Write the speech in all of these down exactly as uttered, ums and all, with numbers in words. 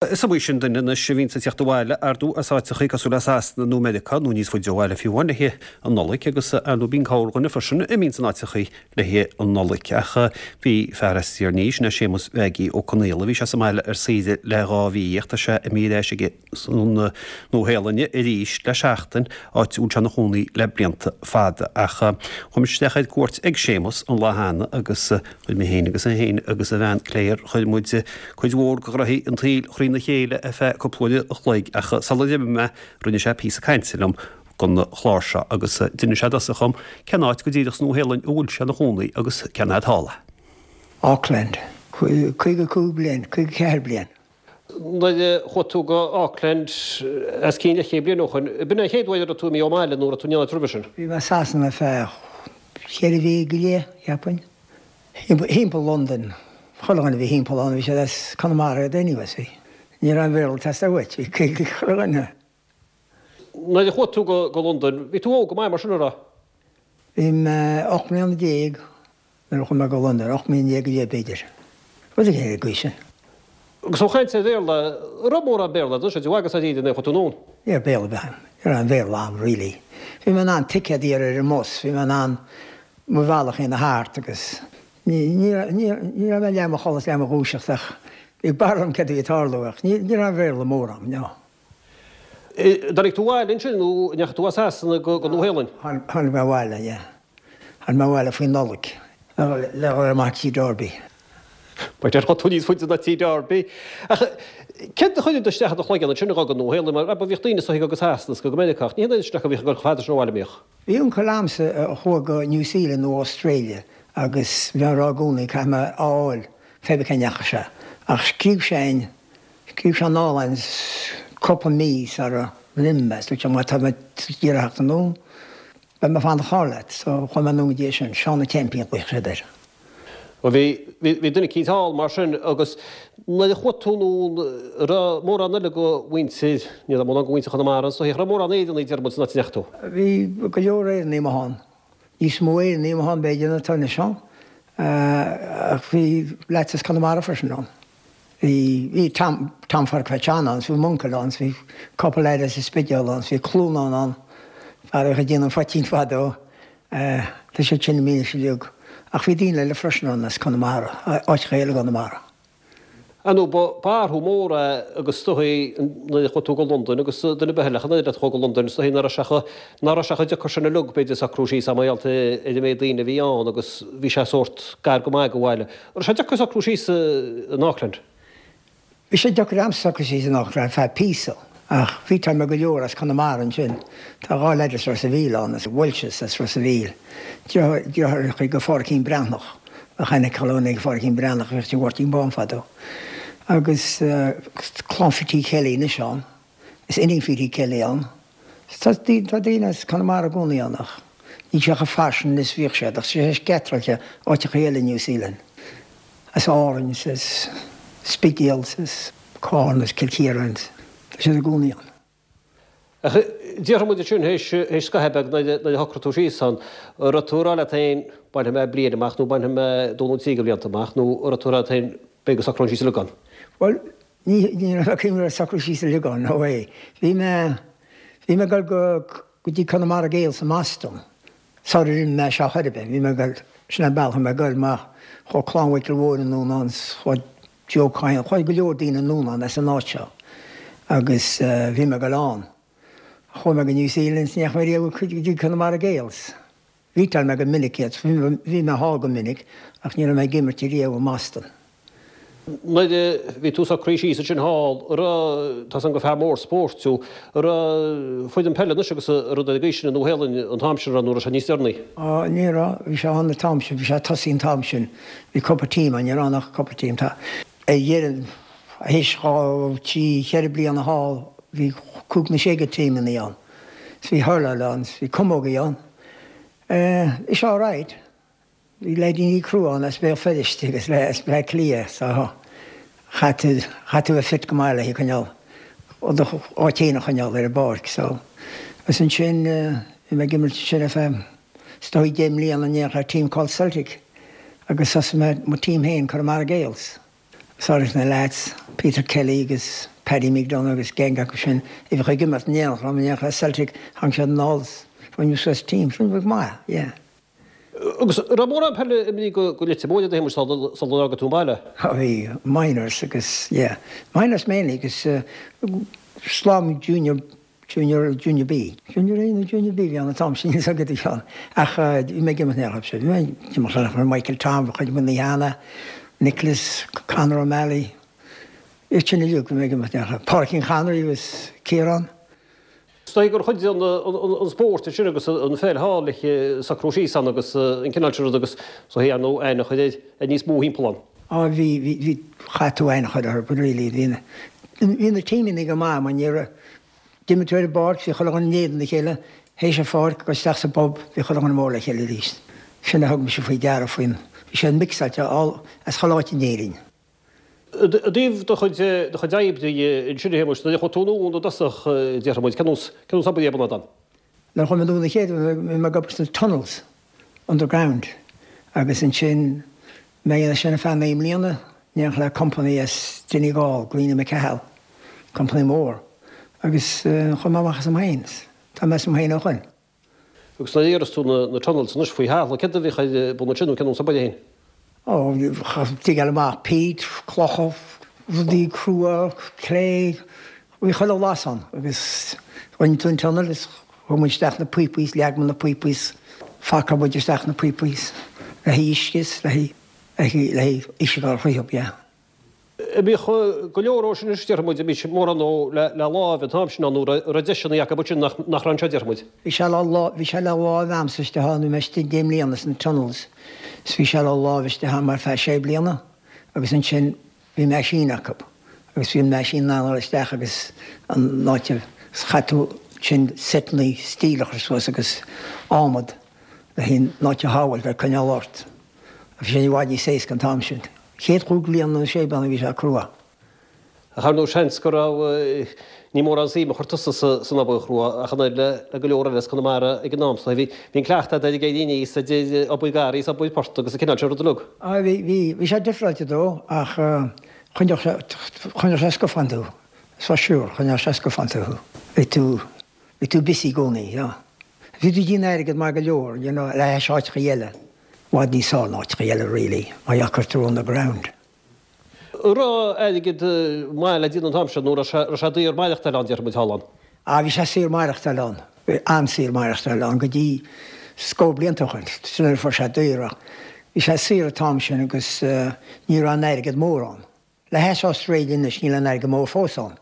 Is iomaí sin duine anois a bhíonns ag teacht abhaile, ar ndóigh, as áiteachaí cosúil le Sasana nó Meiriceá nó níos faide ó bhaile fiú amháin le haghaidh an Nollaig agus ar ndóigh bíonn corrdhuine freisin a mbíonns in áiteachaí le haghaidh an Nollaig. Ach bhí fear as Tír an Fhia, sin é Séamus Mhaggie Ó Conaola, bhí sé sa mbaile ar saoire le dhá mhí ach tá sé imithe ar ais ag an Nua-Shéalainn arís le seachtain, áit a bhfuil sé ina chónaí le blianta fada. Ach chuaigh muid isteach ar cuairt ag Séamus an lá cheana agus chuir mé féin agus é féin agus a bhean Claire, chuir muid cuid mhór de ghraithí an tsaoil thrína chéile ar feadh cúpla uair a chloig ach sula d'imigh mé rinne sé píosa cainte liom don chlár seo agus d'inis sé i dtosach dhom cén áit go díreach sa Nua-Shéalainn a bhfuil sé ina chónaí agus cén fhad thall é. Auckland. Caoga cúig bliain, caoga ceathair bliain. Nuair a chuaigh tú go Auckland os cionn leathchéad bliain ó shoin, b'in é an chéad uair a raibh tú imithe ón mbaile nó raibh tú in aon áit roimhe sin? Bhí mé i Sasana ar feadh cheithre mhí go leith, cheapfainn. Thimpeall Londain. Chuile dhuine a bhí thimpeall ann, bhí siad as Conamara iad anyway, so ní raibh aon Bhéarla ag teastáil uait, bhí chuile dhuine. Nuair a chuaigh tú go Londain, bhí tú óg go maith mar sin, an raibh? Bhí mé ocht mbliana déag nuair a chuaigh mé go Londain, ocht mbliana déag go leith b'fhéidir. Rud éigin ar an gcaoi sin. Agus ó chaint ar Bhéarla, an raibh mórán Béarla agat ansin, agus dáiríre nuair a chuaigh tú anonn? Ní raibh Béarla ar bith agam. Ní raibh aon Bhéarla agam really. Bhí mé in ann ticéad a iarraidh ar an mbus, bhí mé in ann mo bhealach a dhéanamh thart agus ní ní ní raibh mé leath i mo chodladh is leath i mo dhúiseacht ach bhí barúil agam céard a bhí ag tarlú ach ní ní raibh aon Bhéarla mór agam, no. Tháinig tú abhaile ansin nó an ndeachaigh tú as Sasana go Nua-Shéalainn? Tháinig mé abhaile, yeah. Tháinig mé abhaile faoin Nollaig le dhul amach Tí Derby. B'fhéidir chuaigh tú níos faide ná Tí Derby. Ach céard a chuir isteach i do chloigeann ansin a dhul go Nua-Shéalainn mar bhíodh daoine is dóigh go Sasana is go Meiriceá ach ní hé an oiread sin acu a bhíodh ag dul chomh fada sin ó bhaile an mbíodh? Bhí uncail a'msa a chuaigh go New Zealand nó Australia agus bhí mé ag rá i gcónaí caithfidh mé a fháil pé bith cá ndeachaigh sé. Ach scríobh sé a'inn, scríobh sé anall a'inn cúpla mí sara n-imigh mé, dúirt sé má tá mé ag iarraidh theacht anonn, beidh mé ag fanacht thall leat. So chuaigh mé anonn go dtí é sin, Seán an tSeaimpín a ghlaoigh siad air. Bhuel bhí, bhí, bhí duine eicínt thall mar sin agus nuair a chuaigh tú anonn, an raibh mórán eile de mhuintir, ní raibh mórán de mhuintir Chonamara ann, an raibh mórán Éireannaigh deir muid san áit a ndeachaigh tú? Bhí go leor Éireannaigh amuigh ann. Níos mó Éireannaigh amuigh ann b'fhéidir ná atá anois ann. Ach bhí leaids as Conamara freisin ann. Bhí, bhí Tom, Tom Phádraic Pheait Seán ann, 's bhí m'uncail ann, 's bhí cúpla leaid as an Spidéal ann, 's bhí Clúnán ann, fear a bhíodh ag déanamh an phoitín fadó. Tá siad sin imithe anois uilig. Ach bhí daoine eile freisin ann as Conamara, áiteacha eile i gConamara. Ar ndóigh, ba, ba athrú mór é agus is dóigh nuair a chuaigh tú go Londain agus duine ar bith eile ach an oiread a chuaigh go Londain, is dóigh nach raibh sé chomh, nach raibh sé chomh deacair sin uilig b'fhéidir socrú síos mar gheall ar an méid daoine a bhí ann agus bhí sé sórt gar go maith go bhaile. An raibh sé deacair socrú síos in Auckland? Bhí sé deacair a'msa socrú síos in Auckland ar feadh píosa ach bhí mé go leor as Conamara ansin. Tá dhá leaid as Ros a' Mhíl ann, as Walshes as Ros a' Mhíl, deartháireacha go Phádraicín Breathnach. Bheadh aithne ag chuile dhuine ag Phádraicín Breathnach, bhíodh tigh Mháirtín Bán fadó. Agus clann Phítí Kelly anois ann. Is iníon Phítí Kelly ann. Tá tá daoine as Conamara i gcónaí ann ach níl sé chomh fairsing is bhíodh siad ach tá sé scatáilte áiteacha eile i New Zealand. As Árainn is as Spidéal is as Carna is Cill Chiaráin. Tá siad i gcónaí ann. Ach déarfaidh muid ansin, théis scaitheamh beag nuair a shocraigh tú síos ann, an raibh tú ag rá leat féin, bainfidh mé bliain amach nó bainfidh mé dó nó trí de bhlianta amach nó an raibh tú ag rá leat féin, beidh go socróinn síos uilig ann? Bhuel, ní, ní raibh mé ag cuimhneamh ar socrú síos uilig ann, no way. Bhí mé, bhí mé ag dul go, go dtí Conamara Gaels i mBoston sar ar imigh mé as seo chor ar bith. Bhí mé ag dul, sin an bealach a bhí mé ag dul mar chuaigh Clann Mhichíl Mhóir anonn ann, chuaigh Joe Coyne, chuaigh go leor daoine anonn ann as an áit seo agus bhí mé ag dul ann. Chuaigh mé go New Zealand is ní dheachaigh mé riamh go dtí Conamara Gaels. Bhíteáil mé go minic iad, bhí mé thall go minic ach ní raibh mé ag imirt riamh i mBoston. Nuair a bhí tú socraithe síos ansin thall, an raibh, tá 's agam gur fear mór spóirt thú, an raibh foireann peile anois agus rud ar an gcaoi sin i Nua Shéalainn an t-am sin, an raibh nó raibh sé níos deireanaí? Á, ní raibh, bhí sé ann an t-am sin, bhí sé ag tosaí an t-am sin, bhí cúpla team ann, ní raibh ann ach cúpla team. Tá, ar dheireadh, théis dhá, trí, cheithre bliana thall, bhí cúig nó sé de teamannaí ann. 's bhí hurláil ann, 's bhí camógaí ann. Eh, bhí sé alright. Bhí leaidíní crua ann as Béal Feirste agus as Bleá Cliath so chaith tú, chaith tú a bheith fit go maith le haghaidh coinneáil, do áit fhéin a choinneáil ar an bpáirc so. Agus ansin bhí mé ag imirt ansin ar feadh is dóigh deich mbliana in éineacht le team called Celtic agus thosaigh mé mo team féin, Conamara Gaels. Agus áirithe na leaids, Peter Kelly agus Paddy McDonough agus gang acu sin a bhíodh ag imirt in éineacht liom, in éineacht le Celtic, tháinig siad anall is rinne suas team, sin go maith, yeah. Agus raibh mórán peile imithe go go Leitir Móir a Shéamuis sula bhfága tú an baile? Á bhí, minors agus, yeah, minors mainly agus slám junior, junior, junior B. Junior A nó junior B a bhí ann an t-am sin, níl 's agat a Sheáin. Ach bhí mé ag imirt in éineacht leo, bhí mé ag imirt le Michael Tom, chuid de na Hanna, Nicholas, Conor O'Malley, iad sin uilig, bhí mé ag imirt in éineacht leo. Pádraicín Connery agus Ciarán. Is dóigh gur chuidigh an spórt ansin agus an pheil thall le socrú síos ann agus an cineál sin rud agus is dóigh ar ndóigh aithne a chur ar níos mó thimpeall ann. Á bhí, bhí, bhí, chaith tú aithne a chur orthu, but really bhí na, bhí na tímeanna go maith mar ní raibh, d'imir tú ar an bpáirc, bhí chuile dhuine in éadan a chéile, théis an pháirc, go isteach sa bpub, bhí chuile dhuine mór le chéile arís. Sin a thug mise faoi deara faoin, bhí siad mixáilte all, as chuile áit in Éirinn. I dtaobh do chuid do chuid oibre ansin a Shéamuis, nuair a chuaigh tú anonn i dtosach, déarfaidh muid, cén nós cén nós oibre a bhí ann? Nuair a chuaigh mé anonn an chéad uair, bhí mé ag obair sna tunnels, underground, agus ansin mé ag déanamh sin ar feadh naoi mbliana, in éineacht le company as Donegal, Greene McCahill, company mór, agus chuaigh mé amach asam féin, tá mé asam féin ó shoin. Agus nuair a dhéaras tú na tunnels anois faoi thalamh, céard a bhíodh ar bun ansin nó cén nós oibre féin? Ó, digeáil amach peat, clocha, rudaí crua, cré, bhí chuile bhlas ann agus rinne tú an tunnel is chuir muid isteach na píopaí is leag muid na píopaí is phacáil muid isteach na píopaí is le haghaidh uisce is le haghaidh le haghaidh uisce a ghabháil fríothub, yeah. Bhíodh go leor ó sin anois, déarfaidh muid, bhí mórán ó le láimh an t-am sin ann nó raibh deiseanna acu ansin nach raibh anseo, déarfaidh muid. Bhí sé le bhí sé le láimh a'msa istigh ann, bhí mé istigh deich mbliana sna tunnels is bhí sé le láimh istigh ann ar feadh sé bliana agus ansin bhí meaisín acu agus bhí an meaisín in ann a dhul isteach agus an áit a chaith tú sin seiteanna steel a chur suas agus adhmad le haghaidh an áit a shábháilt le coinneáil ort. Bhí sé i bhfad níos éasca an t-am sin. Chéad chúig bliana nó sé bliana bhí sé crua. Ach ar ndóigh seans go raibh, ní mórán suim a chuir tusa san obair chrua ach an oiread le go leor eile as Conamara ag an am so. Bhí an cleachtadh agat ag éirí aníos idir obair garraí is obair port agus an cineál sin rud uilig. Á bhí, bhí, bhí sé difreáilte dó ach choinneodh sé, choinneodh sé scafán tú, for sure, choinneodh sé scafán tú. Bhí tú, bhí tú busy i gcónaí, yeah. Bhí tú ag déanamh airgead maith go leor, you know, le hais áiteacha eile. Bhfad níos fearr ná áiteacha eile really, mar gheall gur tú on the ground. An raibh airgead maith le déanamh an t-am sin nó raibh sé raibh sé daor maireachtáil ann, déarfaidh muid, thall ann? Ah bhí sé saor maireachtáil ann, bhí an-saor maireachtáil ann go dtí scór blianta ó shin, sin nuair a fuair sé daor ach bhí sé saor an t-am sin agus ní raibh an airgead mór ann. Le hais Australia anois níl an airgead mór fós ann.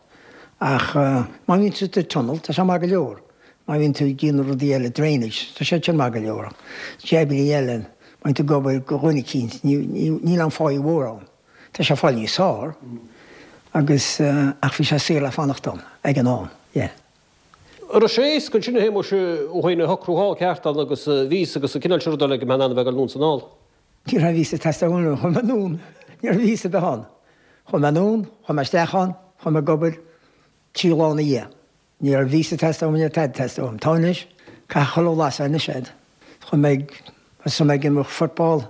Ach má bhíonn tú sa tunnel tá sé maith go leor. Má bhíonn tú ag déanamh rudaí eile, drainage, tá sé sin maith go leor. Ach jabannaí eile, má bhíonn tú ag obair do dhuine eicínt, níl an pháí mhór ann. Tá sé ag fáil níos fearr agus ach bhí sé saor le fanacht ann ag an am, yeah. An raibh sé éasca ansin a Shéamuis thú féin a shocrú thall ceart ann agus víosa agus an cineál sin ruda le go mbeifeá in ann a bheith ag dul anonn is anall? Ní raibh víosa ag teastáil uaim nuair a chuaigh mé anonn. Ní raibh víosa ar bith ann. Chuaigh mé anonn, chuaigh mé isteach ann, chuaigh mé ag obair trí lá ina dhiaidh. Ní raibh víosa ag teastáil uaim, ní raibh tada ag teastáil uaim. Tá anois, caithfidh chuile bhlas anois agat. Chuaigh mé ag, thosaigh mé ag imirt football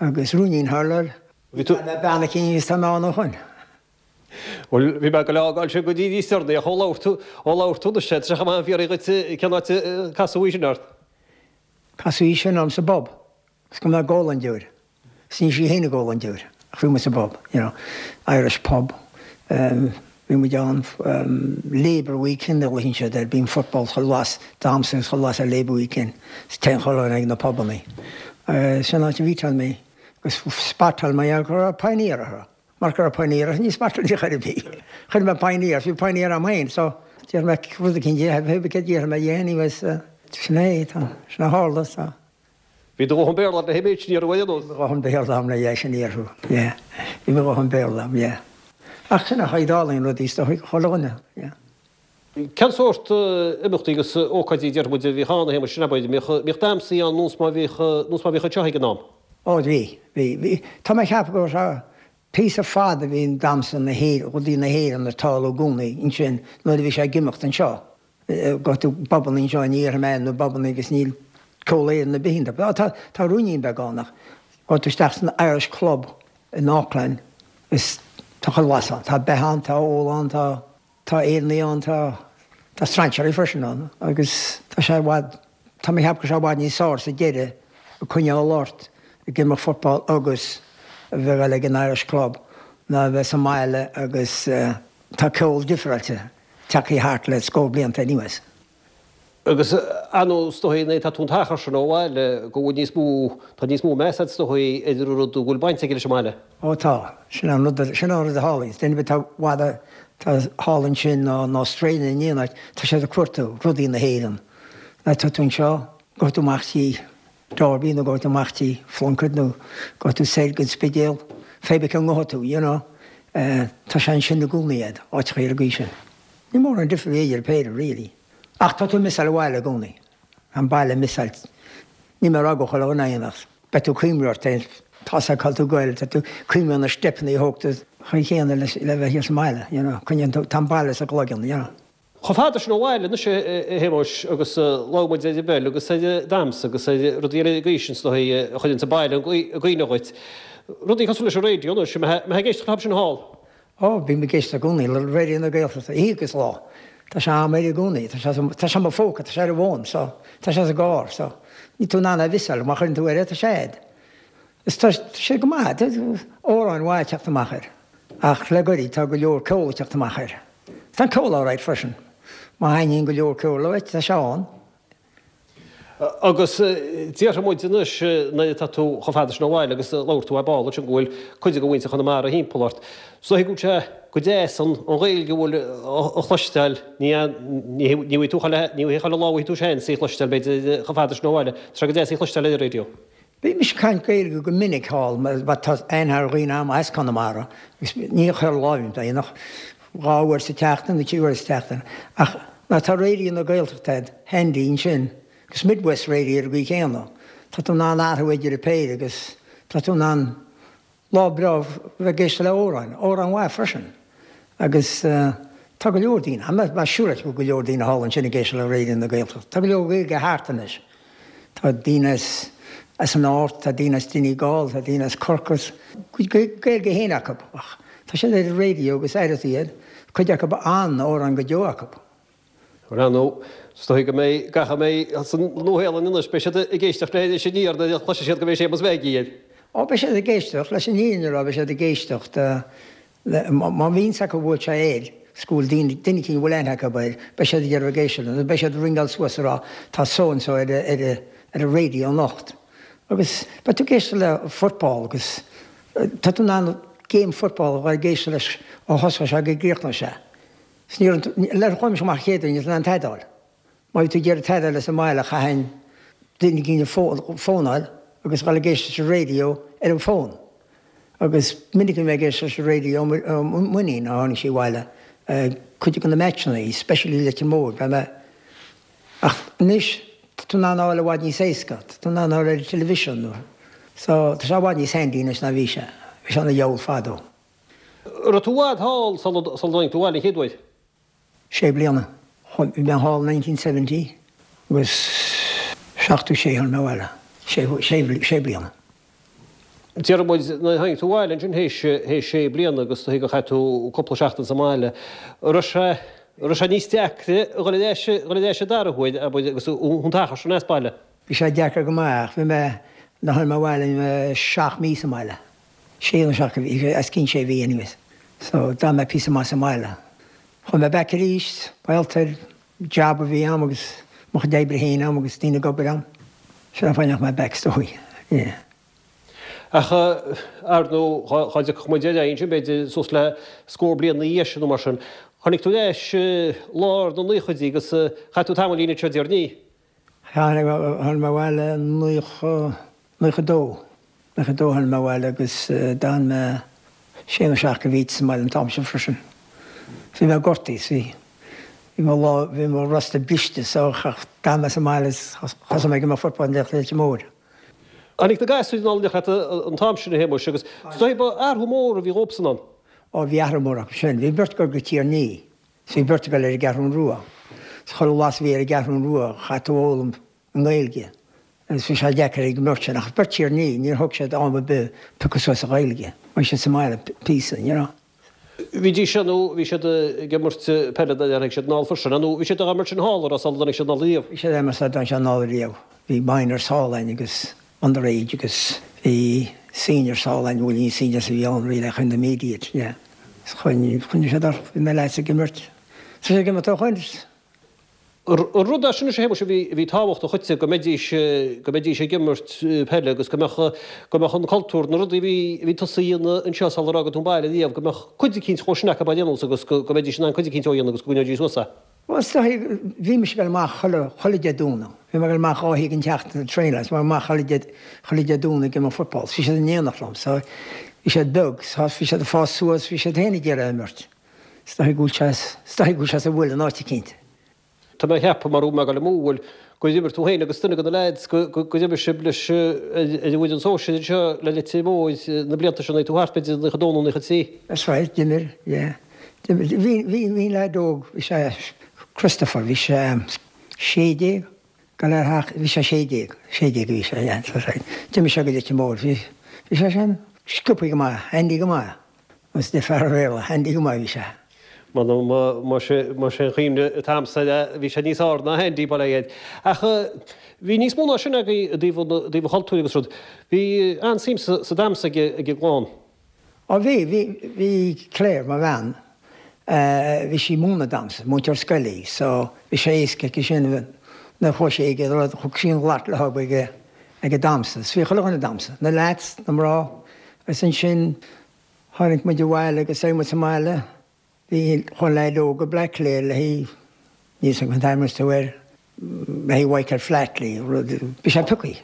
agus rúinín hurláil. Bhí tú. Bhí mé bean eicínt agus tá mé ann ó shoin. Bhuel, bhí mé ag dul a fhágáil sin go dtí níos deireanaí ach ó labhair tú, ó labhair tú anois, tá sé chomh maith a fiafraí dhuit cén áit a casadh í sin ort. Casadh í sin orm sa bpub. Is go mbeadh ag ól an deoir. Is ní sí féin ag ól an deoir. Ach bhí muid sa bpub, you know, Irish pub. Bhí muid ann Labour Weekend a ghlaonn siad air, bíonn football chuile bhlas damhsa agus chuile bhlas ar Labour Weekend. Is téann chuile dhuine ag na pubannaí. Sin an áit a mhíteáil mé agus spotáil mé go raibh pioneer orthu. Mar go raibh pioneer orthu ní spotáil ar chor ar bith. Chuir mé pioneer, bhí pioneer a'm féin so deir mé rud eicínt di, céard a déarfaidh mé di anyways sin é, tá, sin a tharla so. Bhí do dhóthain Béarla agat le himint, ní raibh aon nós. Bhí mo dhóthain Béarla agam le yeah, sin iarthú, yeah. Bhí mo dhóthain Béarla agam, yeah. Ach sin a tharlaíonn rudaí is dóigh chuile dhuine, yeah. Cén sórt imeachtaí agus ócáidí déarfaidh muid a bhíodh ann, a Shéamais, sin abair, mbíodh, mbíodh damhsaí ann nós mar bhíodh, nós mar bhíodh anseo ag an am? Ó bhí, bhí, bhí. Tá mé ag ceapadh go raibh píosa fada bhí an damhsa na hÉireann, rudaí na hÉireann ag tarlú i gcónaí ansin nuair a bhí sé ag imeacht anseo. Go tú pubannaí anseo ní iarrfaidh mé na pubannaí agus níl ceol Éireann ar bith iontu. Tá tá tá ruainnín beag ann ach go tú isteach san Irish Club in Auckland is Tá chuile bhlas ann. Tá beatha ann, tá ól ann, tá tá Éireannaigh ann, tá tá strainséirí freisin ann agus tá sé i bhfad, tá mé ag ceapadh go bhfuil sé i bhfad níos fearr sa deireadh ag coinneáil ort ag imirt football agus a bheith ag dul ag an Irish Club ná a bheith sa mbaile agus tá ceol difreáilte tagtha thart le scór blianta anuas. Agus ar ndóigh is dóigh nuair atá tú an t-achar sin ó bhaile go bhfuil níos mó, tá níos mó meas agat is dóigh ar an rud a bhfuil baint aige leis an mbaile. Ó tá, sin an rud, sin an rud a tharlaíonn. Duine ar bith atá i bhfad, atá thall ansin nó in Australia nó in aon áit, tá siad ag cuartú rudaí na hÉireann. Nuair atá tú anseo, gabhfaidh tú amach dtí Derby nó gabhfaidh tú amach dtí Plunkett nó gabhfaidh tú soir go Spidéal, pé bith cá ngabhfaidh tú, you know. Tá sé ansin i gcónaí agat, áiteacha ar an gcaoi sin. Ní mórán difir a bhí idir an péire, really. Ach tá tú ag missáil an bhaile i gcónaí. An baile ag missáil. Níl mé ag rá go chuile dhuine é ach beidh tú ag cuimhniú ort féin. Tá sé cá bhfuil tú ag goil, tá tú ag cuimhniú ar na steipeanna a thóg tú chaoi chéanna le le bheith thíos sa mbaile, you know. Coinníonn tú, tá an baile sa gcloigeann, you know. Chomh fada sin ó bhaile anois, a Shéamuis, agus labhair muid ar an bpeil agus ar an damhsa agus ar rudaí eile den gcaoi sin is dóigh a chuireanns an baile i gcuimhne dhuit. Rudaí cosúil leis an raidió anois, an mbeifeá ag éisteacht leo sin thall? Ó, bím ag éisteacht i gcónaí le Raidió na Gaeltachta, oíche agus lá. Tá sé a'm air i gcónaí. Tá sé tá sé i mo phóca, tá sé ar an bhfón, so tá sé sa gcarr, so níl tú in ann é a mhissáil, má chuireann tú air é, tá sé a'd. Is tá sé go maith, tá amhráin mhaith ag teacht amach air. Ach le goirid tá go leor ceol ag teacht amach air. Tá an ceol alright freisin. Má thaitníonn go leor ceoil uait, tá sé ann. Agus déarfaidh muid anois, nuair atá tú chomh fada sin ó bhaile agus labhair tú ar ball ansin go bhfuil cuid de mhuintir Chonamara thimpeall ort, is dóigh go bhfuil sé go deas an Ghaeilge a bhfuil a chloisteáil, ní ní bhfaighidh tú chuile ní chuile lá a bhfaighidh tú seans í a chloisteáil b'fhéidir chomh fada sin ó bhaile, tá sé go deas í a chloisteáil ar an raidió. Bímse ag caint Gaeilge go minic thall mar tá aithne ar dhaoine a'm as Conamara agus ní chuile lá a bhím ach dhá uair sa tseachtain nó trí huaire sa tseachtain ach nuair atá Raidió na Gaeltachta a'd handy ansin Agus Midwest Radio ar an gcaoi chéanna. Tá tú in ann athrú idir an péire agus tá tú in ann lá breá bheith ag éisteacht le amhráin, amhráin mhaith freisin. Agus tá go leor daoine, tá mé siúráilte go bhfuil go leor daoine thall ansin ag éisteacht le Raidió na Gaeltachta. Tá go leor Gaeilge thart anois. Tá daoine as as an Ard, tá daoine as Donegal, tá daoine as Corcaigh. Gaeilge féin acu ach tá siad ar an raidió agus aireoidh tú iad, cuid acu an-amhráin go deo acu. Ar ndóigh, is dóigh go mbeidh gach a mbeidh sa Nua-Shéalainn anois, beidh siad ag éisteacht le Iris Aniar nuair a chloisfidh siad go mbeidh Séamus Mhaggie air. Ó, beidh siad ag éisteacht, leis an fhírinne a rá, beidh siad ag éisteacht le, má bhíonn 's acu go bhfuil sé air, 's go bhfuil daoine, duine eicínt a bhfuil aithne acu air, beidh siad ag iarraidh ag éisteacht leo, nó beidh siad ag ringeáil suas ag rá tá so and so ar a, ar a, ar an radio anocht. Agus beidh tú ag éisteacht le football agus tá tú in ann game football a bheith ag éisteacht leis ó thosóidh sé go gcríochnóidh sé. 'S ní raibh, nuair a chuaigh mise amach chéad uair, ní raibh tú in ann tada a fháil. Má bhí tú ag iarraidh tada a fháil as an mbaile chaithfinn duine eicínt a fónáil agus dhul ag éisteacht leis an raidió ar an bhfón. Agus minic a bhí mé ag éisteacht leis an raidió ó m'iníon ó tháinig sí abhaile, cuid de na matcheanna, especially Leitir Móir, bheadh mé, ach anois tá tú in ann a fháil i bhfad níos éasca, tá tú in ann a fháil ar an television nó, so tá sé i bhfad níos handy anois ná bhí sé, bhí sé ana dheabhal fadó. Raibh tú i bhfad thall sula dtáinig tú abhaile an chéad uair? Sé bliana. Bhí mé thall nineteen seventy agus seachtó sé tháinig mé abhaile. Sé, sé, sé bliana. Déarfaidh muid, nuair a tháinig tú abhaile ansin théis, théis sé bliana agus dóigh gur chaith tú cúpla seachtain sa mbaile, raibh sé, raibh sé níos deacra a dhul ar ais, dhul ar ais an dara huair, abair, agus an t-achar sin as baile? Bhí sé deacair go maith ach bhí mé, nuair a tháinig mé abhaile bhí mé seacht mí sa mbaile. Sé nó seacht mhí, os cionn sé mhí anyways. So d'fhan mé píosa maith sa mbaile. Chuaigh mé back arís, gaolta, job a bhí a'm agus mo chuid oibre féin a'm agus daoine ag obair a'm. Sin an fáth a ndeachaigh mé back is dóigh. Yeah. Ach ar ndóigh, dhá dtiocfadh muid ar aghaidh ansin, b'fhéidir suas le scór bliain ina dhiaidh sin nó mar sin, tháinig tú ar ais i lár na naochaidí agus chaith tú tamaillín anseo déarfainn. Tháinig mé abhaile i naocha, naocha dó. Naocha dó tháinig mé abhaile agus d'fhan mé sé nó seacht de mhíthe sa mbaile an t-am sin freisin. Bhí mé gortaithe is bhí, bhí mo lámh, bhí mo rosta briste so d'fhan mé sa mbaile is thosaigh mé ag imirt football le Leitir Móir. Tháinig na gasúir anall in éineacht leat an t-am sin a Shéamuis agus is dóigh ba athrú mór a bhí dhóibhsan ann. Ó bhí athrú mór acu sin. Bhí beirt ag dul go Tír an Fhia. 'S bhí beirt ag dul ar an gCeathrún Rua. 'S chuile bhlas a bhí ar an gCeathrún Rua chaith tú a fhoghlaim i nGaeilge. Agus bhí sé deacair ag an mbeirt sin. Ach beirt Tír an Fhia, níor thóg siad am ar bith piocadh suas an Ghaeilge. Bhí siad sa mbaile píosa, you know. Bhídís nó bhí siad ag imirt peile nuair a tháinig siad anall freisin, nó bhí siad ag imirt sin thall sula dtáinig siad anall riamh? Bhí siad ag imirt sula dtáinig siad anall riamh. Bhí minors thall againn agus underage agus bhí seniors thall againn, bhuel ní seniors a bhí ann really ach intermediate, yeah. Choinnigh siad orthu, bhí na lads ag imirt. Tá siad ag imirt ó shoin. Rud é sin a Shéamais a bhí tábhachtach dhuitse go mbeidís go mbeidís ag imirt peile agus go mbeadh go mbeadh an cultúr, na rudaí a bhí a bhí tusa a dhéanamh anseo sular fhága tú an baile riamh, go mbeadh cuid eicínt dhó sin acu á dhéanamh agus go go mbeidís in ann cuid eicínt ó dhéanamh agus go gcoinneoidís suas é. Bhuel is dóigh, bhí mise ag dul amach chuile chuile Dé Domhnaigh. Bhí mé ag dul amach dhá oíche den tseachtain ag traenáil, is mé amach chuile Dé chuile Dé Domhnaigh ag imirt football. Bhí siad in éineacht liom so bhí siad beag, so bhí siad ag fás suas, bhí siad féin ag iarraidh imirt. Is dóigh go bhfuil sé is dóigh go bhfuil sé sa bhfuil in áit eicínt. Tá mé a cheapadh, mar mé ag dul amú, bhfuil, gur imir tú féin agus duine de na leaids, go, go, gur imir sibh leis ar an bhfoireann sóisir anseo le Leitir Móir na blianta seo, nuair tú thart b'fhéidir naocha dó nó naocha trí. That's right, d'imir, yeah. D'imir, bhí, bhí, bhí leaid óg, bhí sé, Christopher, bhí sé sé déag, go leor theach, bhí sé sé déag, sé déag a bhí sé, yeah, that's right. D'imir sé go Leitir Móir, bhí, bhí sé sin sciobtha go maith, handy go maith. Is de fear Bhéarla, handy go maith bhí sé. Más é an chuimhne atá agamsa air, bhí sé níos airde ná handy, bail ó Dhia air. Ach bhí níos mó ná sin agaibh i dtaobh an chultúir agus rud. Bhí an-suim sa damhsa ag an gclann. Ó bhí, bhí, bhí Claire, mo bhean, bhí sí ag múineadh damhsa, múinteoir scoile í, so bhí sé éasca aici sin nuair a chuaigh sí ag an rud, thug sí an ghlac léi ag, ag an damhsa. So bhí chuile dhuine ag damhsa, na lads, na mná, agus ansin tháinig muid abhaile agus bhí muid sa mbaile. Bhí chuile leaid óg go Bleá Cliath le haghaidh, níl 's agam an t-ainm is tú air, le haghaidh Michael Flatley, rud, bhí sé pioctha.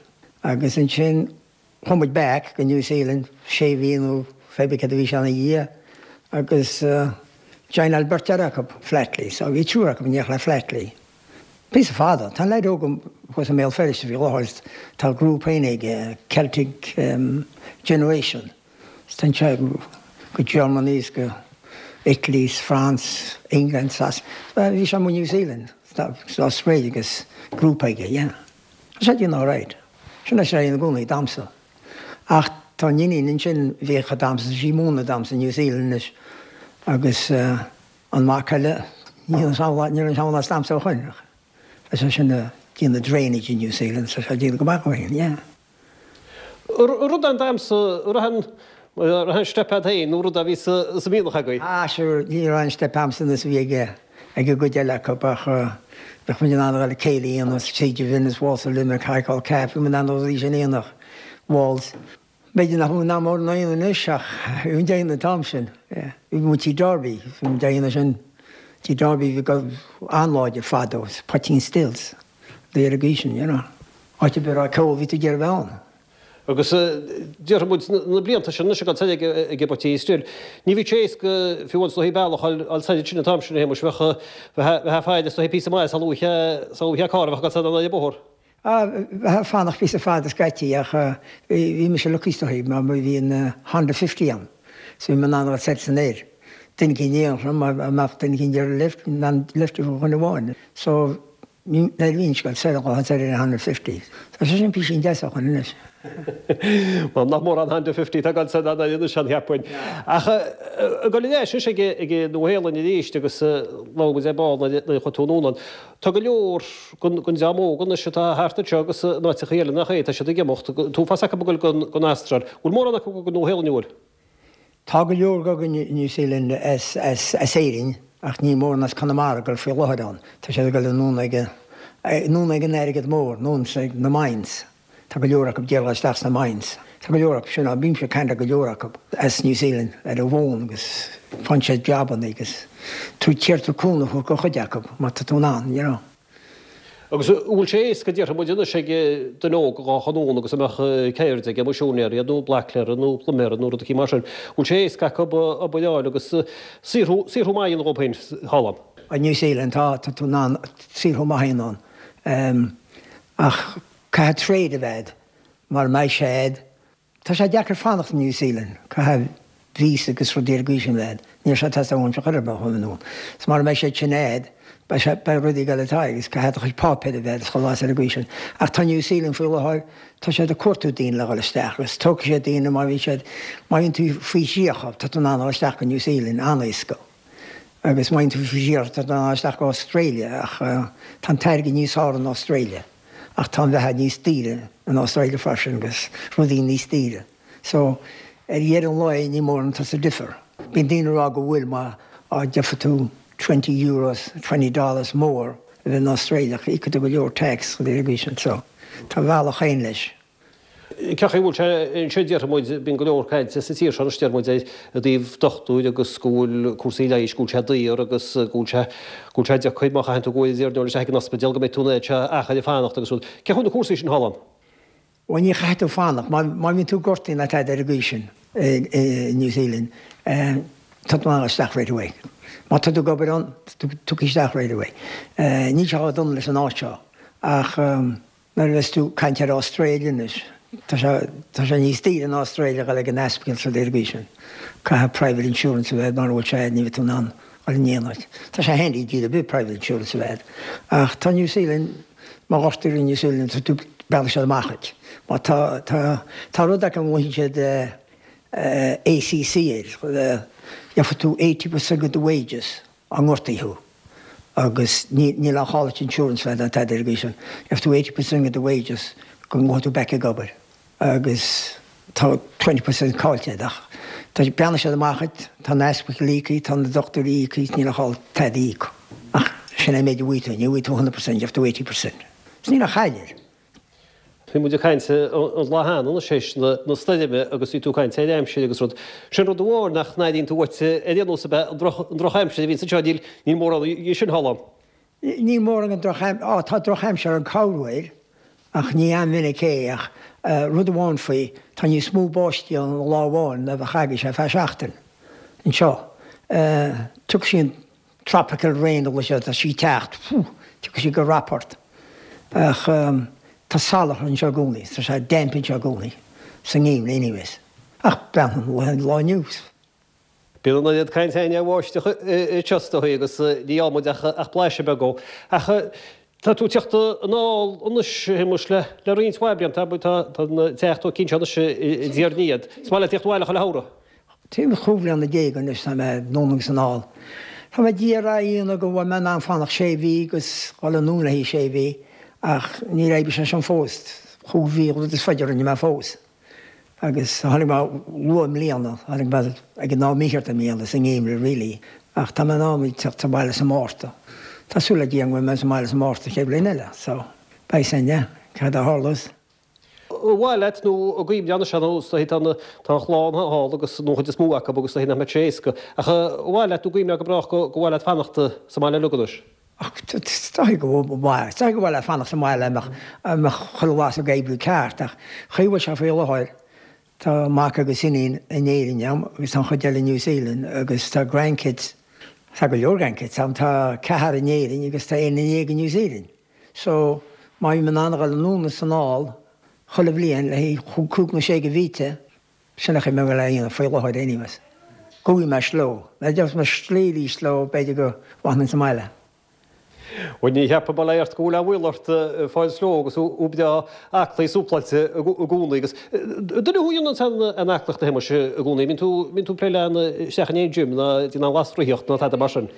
Agus ansin chuaigh muid back go New Zealand sé mhí nó pé bith cad a bhí sé ina dhiaidh agus joináil beirt eile acu Flatley, so bhí triúr acu in éineacht le Flatley. Píosa fada. Tá an leaid óg thuas i mBéal Feirste faoi láthair, tá grúpa féin aige, Celtic Generation. Téann sé go Germany is go Italy is France, England, Sas. Bhí sé amuigh New Zealand sa Australia agus grúpa aige, yeah. Tá sé ag déanamh alright. Sin é sé ina gcónaí damhsa. Ach tá an iníon ansin bhíodh ag damhsa, tá sí ag múineadh damhsa i New Zealand anois agus an mac eile, níl an samhail as damhsa ó shoin. Tá sé sin ag déanamh drainage i New Zealand, tá sé ag déanamh go maith ó shin, yeah. Rud an damhsa, raibh an steip agat féin nó rud a bhí sa mhianach agaibh? Ah sure, ní raibh an steip a'msa nós a bhí ag ag an gcuid eile acu ach bheadh muid in ann a dhul ag céilí a dhéanamh, Siege of Venice, Waltz of Limerick, High Call Calf, bhí muid in ann na rudaí sin a dhéanamh, waltz. B'fhéidir nach bhfuil in ann mórán a dhéanamh anois ach bhí muid á dhéanamh an t-am sin, yeah. Bhí muid Tigh Darby, bhí muid á dhéanamh sin, Tigh Darby bhí go an-láidir fadó, Poitín Stills, bhí ar an gcaoi sin, you know. Áit ar bith a raibh ceol bhí tú ag iarraidh a bheith ann. Agus déarfaidh muid na blianta sin anois ag dul soir ag an bPoitín Stil, ní bhíodh sé éasca fiú amháin is dóichí bealach a fháil soir ansin an t-am sin a Shéamuis, bheadh, bheifeá ag faire is dóichí píosa maith sula bhfaighfeá, sula bhfaighfeá carr a bheadh ag dul soir an bóthar. Ah, bheifeá ag fanacht píosa fada scaití ach bhí mise lucky is dóichí mar bhí an Honda fifty a'm so bhí mé in ann a dhul soir is anoir. Duine eicínt in éineacht liom, dá mbeadh duine eicínt ar lift, in ann lift a thabhairt do dhuine amháin. So Ní bhíonn scoil saor dhá saor ar an Honda fifty. Tá sé sin písín deas ó shoin anois. Bhuel, nach mór an Honda fifty atá ag dul soir anois ann, cheapfainn. Ach ag dul ar ais anois ag an Nua-Shéalainn arís agus labhair muid ar ball nuair a chuaigh tú anonn ann. Tá go leor den dream óg anois atá thart anseo agus in áiteacha eile nach é, tá siad ag imeacht. An t-uafás acu ag dul don Astráil. Bhfuil mórán acu ag dul don Nua-Shéalainn, an bhfuil? Tá go leor ag dul go New Zealand as Éirinn ach níl mórán as Conamara ag dul faoi láthair ann. Tá siad ag dul anonn ag anonn ag an airgead mór, anonn ag na mines. Tá go leor acu ag iarraidh dul isteach sna mines. Tá go leor acu sin ann. Bímse ag caint le go leor acu as New Zealand ar an bhfón agus faigheann siad jabanna agus tú iarr tú cúnamh a thabhairt do chuid acu má tá tú in ann, you know. Agus an bhfuil sé éasca, déarfaidh muid anois, ag duine óg a ghabh anonn agus a mbeadh ceird aige, misiúinéir nó blaclaer nó pluiméir nó rud eicínt mar sin, an bhfuil sé éasca acu obair a fháil agus saothrú, saothrú maith a dhéanamh dhóibh féin thall ann? I New Zealand tá, tá tú in ann saothrú maith a dhéanamh ann. Ach caithfidh trade a bheith a'd, mara mbeidh sé a'd, Tá sé deacair fanacht i New Zealand, caithfidh víosa agus rudaí ar an gcaoi sin leat. Níl sé ag teastáil uaimse chor ar bith a chur in iúl. Is mara mbeidh sé sin a'd, beidh sé, beidh rudaí ag dul atá agus caithfidh do chuid páipéir a bheith a'd is chuile lá ar an gcaoi sin. Ach tá New Zealand faoi láthair, tá siad ag cuartú daoine le dhul isteach agus tógfaidh siad daoine má bhíonn siad, má bhíonn tú faoi thríocha, tá tú in ann a dhul isteach go New Zealand an-éasca. Agus má bhíonn tú faoi thríocha, tá tú in ann a dhul isteach go Australia ach tá an t-airgead níos fearr in Australia ach tá an bheatha níos daoire in Australia freisin agus rudaí níos daoire. So, ar dheireadh an lae ní mórán atá sa difear. Bíonn daoine ag rá go bhfuil má gheobhaidh tú twenty euros, twenty dollars more a bheith in Australia ach íocfaidh tú go leor tax ar an gcaoi sin. So, tá a bhealach féin leis. Cén chaoi a bhfuil sé anseo déarfaidh muid, bíonn go leor cainte sa tír seo anois deir muid i dtaobh dochtúir agus go bhfuil cúrsaí leighis, go bhfuil sé daor agus go bhfuil sé, go bhfuil sé deacair má chaitheann tú gabháil ar dul isteach ag an ospidéal go mbeidh tú in áit achar ag fanacht agus rud. Cén chaoi na cúrsaí sin thall ann? Bhuel ní chaithfidh tú fanacht, má bhíonn tú gortaithe nó tada ar an gcaoi sin i New Zealand, tá tú in ann isteach right away. Má tá tú ag obair ann, tiocfaidh isteach right away. Níl sé chomh dona leis an áit seo ach nuair a bheas tú ag caint ar Australia anois, tá sé tá sé níos daoire in Australia dhul ag an ospidéal is rud ar an gcaoi sin. Caithfidh private insurance a bheith mura bhfuil sé ní bheidh tú in ann dhul in aon áit. Tá sé handy i dtír ar bith private insurance a bheith ach tá New Zealand, má ghortaítear i New Zealand tá tú breathnaigh siad amach duit. Má tá tá tá rud acu a nglaonn siad ACC air, gheobhaidh tú eighty percent of the wages dá ngortaí thú agus ní níl aon chall duit insurance a bheith ná tada ar an gcaoi sin. Gheobhaidh tú eighty percent of the wages go ngabhfaidh tú back ag obair agus tá twenty percent caillte agat ach tá breathnaigh siad amach duit, tá na hospitals íoctha, tá na dochtúirí íoctha, níl aon chall tada a íoc. Ach sin é an méid a bhfaighidh tú, ní bhfaighidh tú hundred percent, gheobhaidh tú eighty percent. Is níl aon chaill air. Bhí muid ag caint an lá cheana anois théis na stoirme agus bhí tú ag caint ar aimsir agus rud. Sin rud amháin nach n-airíonn tú uait ar aon nós ab ea an drochaimsir a bhíonns anseo, níl níl mórán dhe sin thall ann. Níl mórán den drochaimsir, á tá drochaimsir ann corruair ach ní an-mhinic é ach rud amháin faoi, tá níos mó báistí ann lá amháin ná bheadh agaibhse ar feadh seachtain anseo. Tiocfaidh sí an tropical rain a bhfuil sé, tá sí ag teacht, phew, tiocfaidh sí go rap ort. Ach tá salachar anseo i gcónaí, tá sé damp anseo i gcónaí, sa ngeimhreadh anyways. Ach breathnaigh an lá inniu. Bíonn an oiread cainte againn ar bháisteach anseo is dóigh agus ní fhaigheann muid ach blaiseadh beag dó. Ach tá tú ag teacht anall anois, a Shéamuis, le roinnt mhaith blianta, tá an teach tógtha anseo anois i dTír an Fhia. Is maith leat tíocht abhaile chuile shamhradh? Timpeall chúig bhliana déag anois tá mé anonn agus anall. Tá mé d'iarraidh a dhéanamh go bhfuil mé in ann fanacht sé mhí agus dhul anonn le haghaidh sé mhí ach níor oibrigh sé sin fós. Chúig mhí an rud is faide a rinne mé fós. Agus tháinig mé luath i mbliana, tháinig mé ag an am mícheart i mbliana, sa ngeimhreadh really, ach tá mé in am ag teacht abhaile sa Márta. Tá súil le Dia go mbeidh mé sa mbaile sa Márta chéad bhliain eile, so beidh sin, yeah, cad a tharlós. Ar mhaith leat nó an gcuimhneá anois nó is dóichí tá an tá an chlann thall agus nó an chuid is mó acu agus is dóichí nach mbeadh sé éasca. Ach ar mhaith leat nó an gcuimhneá go brách go go mhaith leat fanacht sa mbaile uilig anois? Ach is dóichí go mhaith, is dóichí go mhaith leat fanacht sa mbaile a mbeadh a mbeadh chuile lá ag oibriú ceart ach chaoi bhfuil sé faoi láthair tá mac agus iníon in Éirinn agam agus tá an chuid eile in New Zealand agus tá grandkids, tá go leor grandkids agam, tá ceathar in Éirinn agus tá aon déag in New Zealand. So, má bhím in ann a dhul anonn is anall chuile bhliain le haghaidh cúig nó sé de mhíte, sin an chaoi a bhfuil a dhéanamh faoi láthair anyways. Go bhfaighidh mé sló. Nuair a gheobhas mé slí arís leo, b'fhéidir go bhfanfainn sa mbaile. Bhuel, ní cheapaim, bail ó Dhia ort, go bhfuil aon bhaol ort fáil sló agus thú breá aclaí súpláilte i gcónaí agus duine thú a dhéanann an aclaíocht a Shéamuis i gcónaí, mbíonn tú, mbíonn tú ag plé isteach in aon gym ná déanamh aon lasraitheacht ná tada mar sin?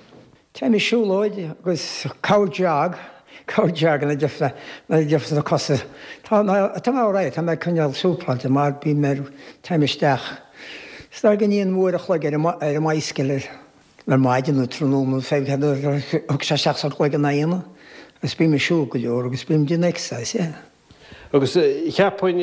Téim ag siúlóid agus corr jog, corr jog nuair a d'fhéadfas na cosa. Tá mé tá mé alright, tá mé ag coinneáil súpláilte mar bím ar, téim isteach. Is dóigh go ndéanaim uair a chloig ar an ar an mbicycle ar ar maidin nó tráthnóna nó fé cad a thug sé isteach sa gcloigeann a dhéanamh agus bím ag siúl go leor agus bím ag déanamh exercise, yeah. Agus cheapfainn,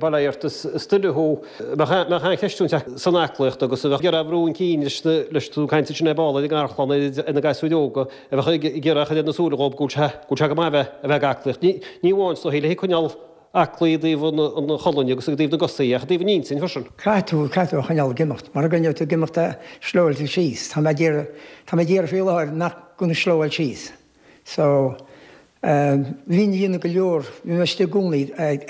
bail ó Dhia ort, is duine thú a mbeadh an-chreistiúint san aclaíocht agus a bheadh ag iarraidh a bhrú chun cinn leis na, leis tú ag caint ansin ar ball ar an ngarchlann, ar na gasúir óga, a bheadh ag iarraidh a chur ar na súile dhóibh go bhfuil sé, go bhfuil sé go maith a bheith, a bheith ag aclaíocht. Ní, ní amháin is dóichí le coinneáil aclaí i dtaobh an, an cholainn agus i dtaobh na gcosaí ach i dtaobh an intinn freisin. Caithfidh tú, caithfidh tú a choinneáil ag imeacht. Mura gcoinneoidh tú ag imeacht slowáilfidh tú síos. Tá mé ag iarraidh, tá mé ag iarraidh faoi láthair nach go slowáil síos. So, bhínn ag déanamh go leor, bhí mé istigh i gcónaí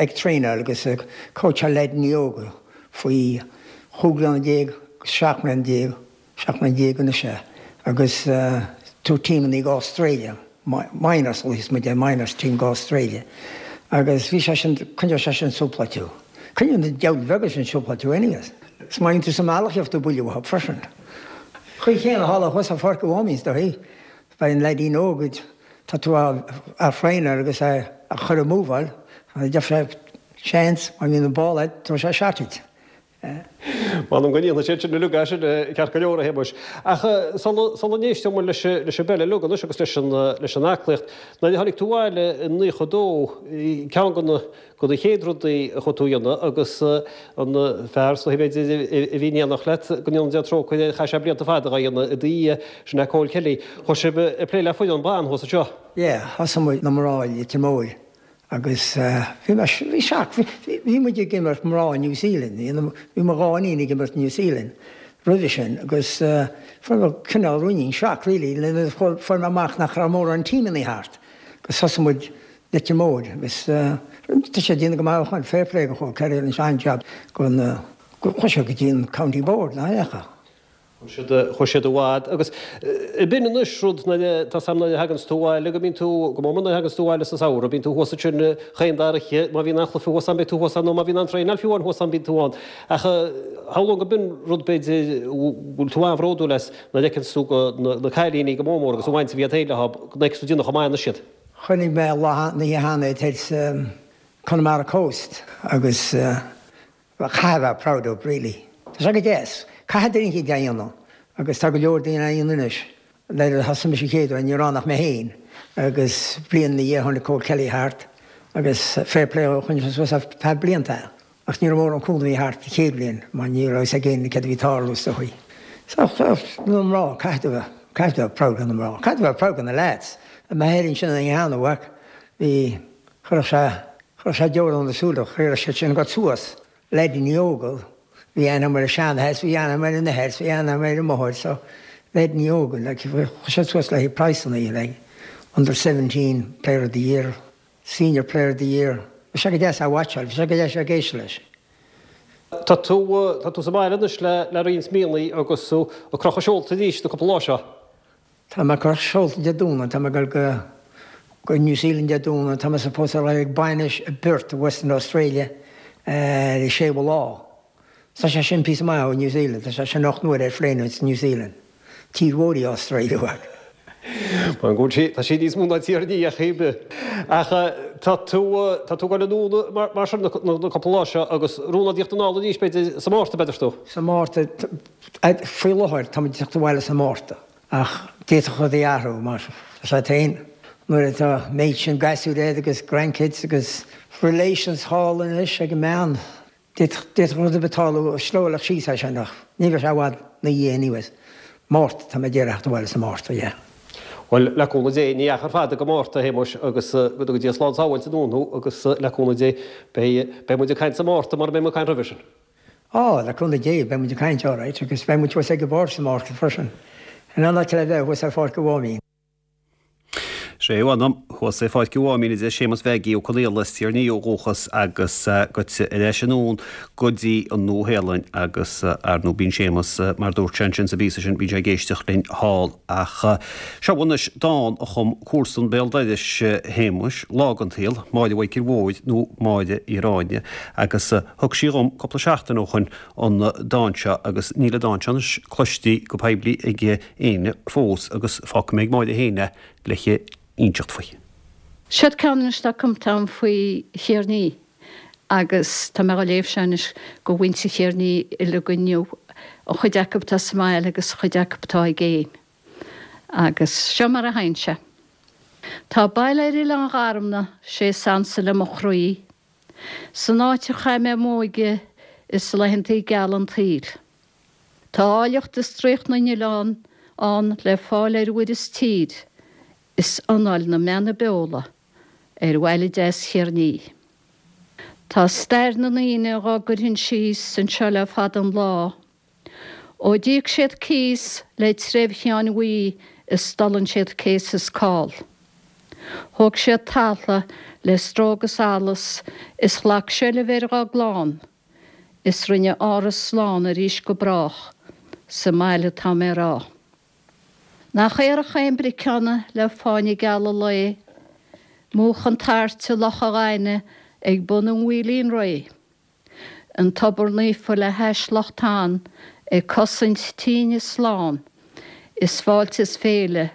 ag traenáil agus ag cóitseáil leaideanna óga faoi chúig bliana déag seacht mbliana déag, seacht mbliana déag anois é, agus tú teamannaí go Australia, minors a bhí muid é, minors team go Australia. Agus bhí sé sin, coinneoidh sé sin súpla tú. Coinneoidh na diabhail bheaga sin súpla tú anyways. Is má bhíonn tú sa mbealach gheobhaidh tú buille uathu freisin. Chaoi chéanna thall thuas ar Pháirc an Mháimín is dóichí. Beidh an leaidín óg, tá tú á thraenáil agus é a chur ag múbháil, gheobhaidh sé seans, má bhíonn an ball agat, tabharfaidh sé shot duit. M'anam go ndéanfaidh siad sin uilig é sin ceart go leor, a Shéamuis. Ach sula n-éisteann muid leis an bpeil uilig anois agus leis an aclaíocht, nuair a tháinig tú abhaile i naocha dó, ceann de na de na chéad rudaí a chuaigh tú a dhéanamh agus an fear is dóichí b'fhéidir a bhí in éineacht leat, go ndéana Dia trócaire air, chaith sé blianta fada á dhéanamh i do dhiaidh, sin é Cóil Kelly. Chuaigh sibh ag plé le foireann ban thuas anseo. Yeah, thosaigh muid na mná i Leitir Móir agus bhí mé, bhí shock, bhí muid ag imirt mná New Zealand, bhí mo dhá iníon ag imirt New Zealand roimhe sin agus fuair mé cineál ruainnín shock really fuair mé amach nach raibh mórán teamannaí thart agus thosaigh muid Leitir Móir agus tá sé déanamh go maith ó shoin, fair play go Chóil Kelly rinne sé an-jab go na, chuaigh sé go dtí an County Board, nach ea? Chuaigh siad i bhfad agus b'in anois rud nuair a, tá 's a'm nuair a thaganns tú abhaile go mbíonn tú, go mór mór nuair a thaganns tú abhaile sa samhradh, bíonn tú thuas ansin chaon dara oíche, má bhíonn aon chluiche thuas ann beidh tú thuas ann nó má bhíonn aon traenáil fiú amháin thuas ann bíonn tú ann. Ach shamhlóinn go b'in rud b'fhéidir bhfuil tú an-bhródúil as nuair a fheiceanns tú go na cailíní go mór mór agus an bhaint a bhí agat féin leo, go bhfeiceanns tú déanamh chomh maith anois iad. Chonaic mé lá an oíche cheana iad sa Connemara Coast agus caithfidh a bheith proud of really. Tá sé go deas. Caithfidh duine éicint é a dhéanamh agus tá go leor daoine á dhéanamh anois. Nuair a thosaigh mise an chéad uair ní raibh ann ach mé féin agus bliain ina dhiaidh tháinig Cóil Kelly thart agus fair play dhó choinnigh sé suas ar feadh blianta é. Ach ní raibh mórán cúnamh thart an chéad bhliain mar ní raibh fhios ag éinne céard a bhí ag tarlú is dóichí. So na mná caithfidh tú bheith caithfidh tú bheith proud de na mná. Caithfidh tú bheith proud de na lads. Mé féin ansin an oíche cheana uaidh bhí chuirfeadh sé chuirfeadh sé deora na súile chuirfeadh siad sin go suas. Leaideanna óga, bhí aithne agam ar an seanathair, bhí aithne agam ar an athair, bhí aithne agam ar an máthair, so leaideanna óga, like, chuaigh siad suas le haghaidh praghsanna, like, under seventeen player of the year, senior player of the year, bhí sé go deas á watcháil, bhí sé go deas ag éisteacht leis. Tá tú, tá tú sa mbaile anois le, le roinnt míonna agus tú ag crochadh seolta arís na cúpla lá seo. Tá mé ag crochadh seolta Dé Domhnaigh, tá mé ag dul go, go New Zealand Dé Domhnaigh, tá mé supposed a bheith ag bainis i bPerth i Western Australia ar an séú lá. Tá sé sin píosa maith ó New Zealand, tá sé sin ocht n-uair ar phlane ó New Zealand. Tír mhór í Australia uaidh. Mar go bhfuil sí, tá sí níos mó ná tír ní ach ar bith. Ach tá tú, tá tú ag dul anonn mar, mar sin na, na cúpla lá seo agus rún agat tíocht anall arís b'fhéidir sa Márta b'fhéidir tú. Sa Márta, faoi láthair tá muid ag teacht abhaile sa Márta. Ach d'fhéadfadh rudaí athrú mar tá sé féin nuair atá an méid sin gasúir agat agus grandkids agus relations thall anois ag an mbean. D'fhéadfadh rud ar bith tarlú slowly síos é sin ach ní bheidh sé i bhfad ina dhiaidh anyways. Márta, tá mé ag iarraidh theacht abhaile sa Márta, yeah. Bhuel, le cúnamh Dé, ní achar fada go Márta, a Shéamuis, agus go dtuga Dia slán sábháilte anonn thú agus le cúnamh Dé, beidh, beidh muid ag caint sa Márta mura mbeidh muid ag caint roimhe sin. Á, le cúnamh Dé, beidh muid ag caint, alright, agus beidh muid thuas ag an bpáirc sa Márta freisin. In aon áit le bheith thuas ar Pháirc an Mháimín. Sé a mh'anam, thuas ar Pháirc an Mháimín a deir Séamus Mhaggie Ó Conaola as Tír an Fhia ó dhúchas agus goite ar ais anonn go dtí an Nua-Shéalainn agus ar ndóigh bíonn Séamus, mar dúirt sé ansin sa bpíosa sin, bíonn sé ag éisteacht linn thall. Ach seo anois dán a chum comharsan béal dorais Shéamuis, lá den tsaol, Máire Mhichíl Mhóir nó Máire Uí Ráinne, agus thug sí dhom cúpla seachtain ó shoin an dán seo agus níl an dán seo anois cloiste go poiblí ag éinne fós agus fágfaidh mé ag Máire féin é le hinseacht faoi. Siod ceann anois atá cumtha agam faoi Thír an Fhia agus tá mé á léamh seo anois go mhuintir Thír an Fhia uilig inniu, an chuid acu atá sa mbaile agus an chuid acu atá i gcéin. Agus seo mar a théann sé. Tá baile ar Oileán Gharmna, sé is ansa le mo chroí, san áit a chaith mé m'óige is laethantaí geala an tsaoil. Tá áilleacht is draíocht na n-oileán ann le fáil ar mhuir is tír, is anáil na mbeanna beola ar bhaile deas Thír an Fhia. Tá stair na ndaoine dhá gcuirfinn síos anseo le fada an lá, ó d'íoc siad cíos le treibh Sheáin Bhuí is d'fhulaing siad céas is call. Thóg siad taltha le stró agus allas is ghlac seilbh ar dhá gclann, is rinne áras slán arís go brách sa mbaile atá mé a rá. Nach aerach é an Briceanna le fáinne geal an lae, múch an tairt i Loch a' Ghaibhne ag bun an Mhaoilín Réidh, an tobar naofa le hais Loch Tann ag cosaint tínne slán, is fáilte is féile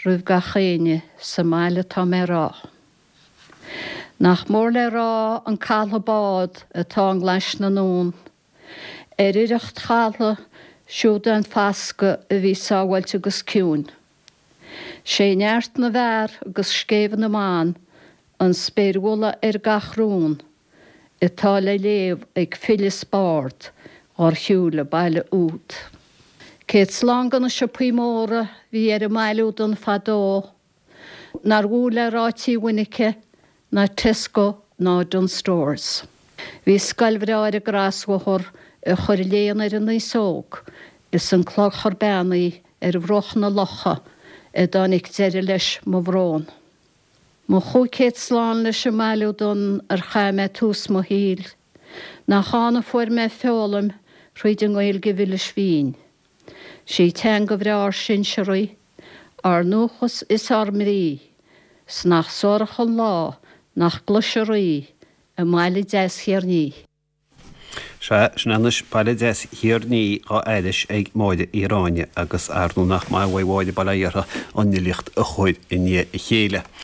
roimh gach éinne sa mbaile atá mé a rá. Nach mór le rá an caladh bád atá i nGlais na nDún, ar oidhreacht chaltha siúd an fascadh a bhí sábháilte agus ciúin. Sé neart na bhfear agus scéimh na mban an spéirmholadh ar gach rún atá le léamh ag file is bard dhár shiúil an baile úd. Céad slán go na siopaí móra bhí ar an mbaile údan fadó, nár mhó le rá Tí Mhuinice ná Tesco ná Dunnes Stores. Bhí scoil bhreá ar an gcrosbhóthar a chuir léann ar an aos óg is an clochar beannaithe ar bhruach na locha a dtáinig deireadh leis mo bhrón. Mo chúig chéad slán leis an mbaile údan ar chaith mé tús mo shaoil, nach ann a fuair mé foghlaim thríd an nGaeilge mhilis mhín. Sí teanga bhreá ár sinsearaí, ár ndúchas is ár mbrí, 's nach suarach an lá nach gcloisfear í i mbaile deas Thír Ní. Sea, sin anois baile deas Thír Ní á aithris ag Máire Uí Ráinne agus ar ndóigh nach maith uaidh Mháire bail ó Dhia uirthi an fhilíocht a chur i ndiaidh a chéile.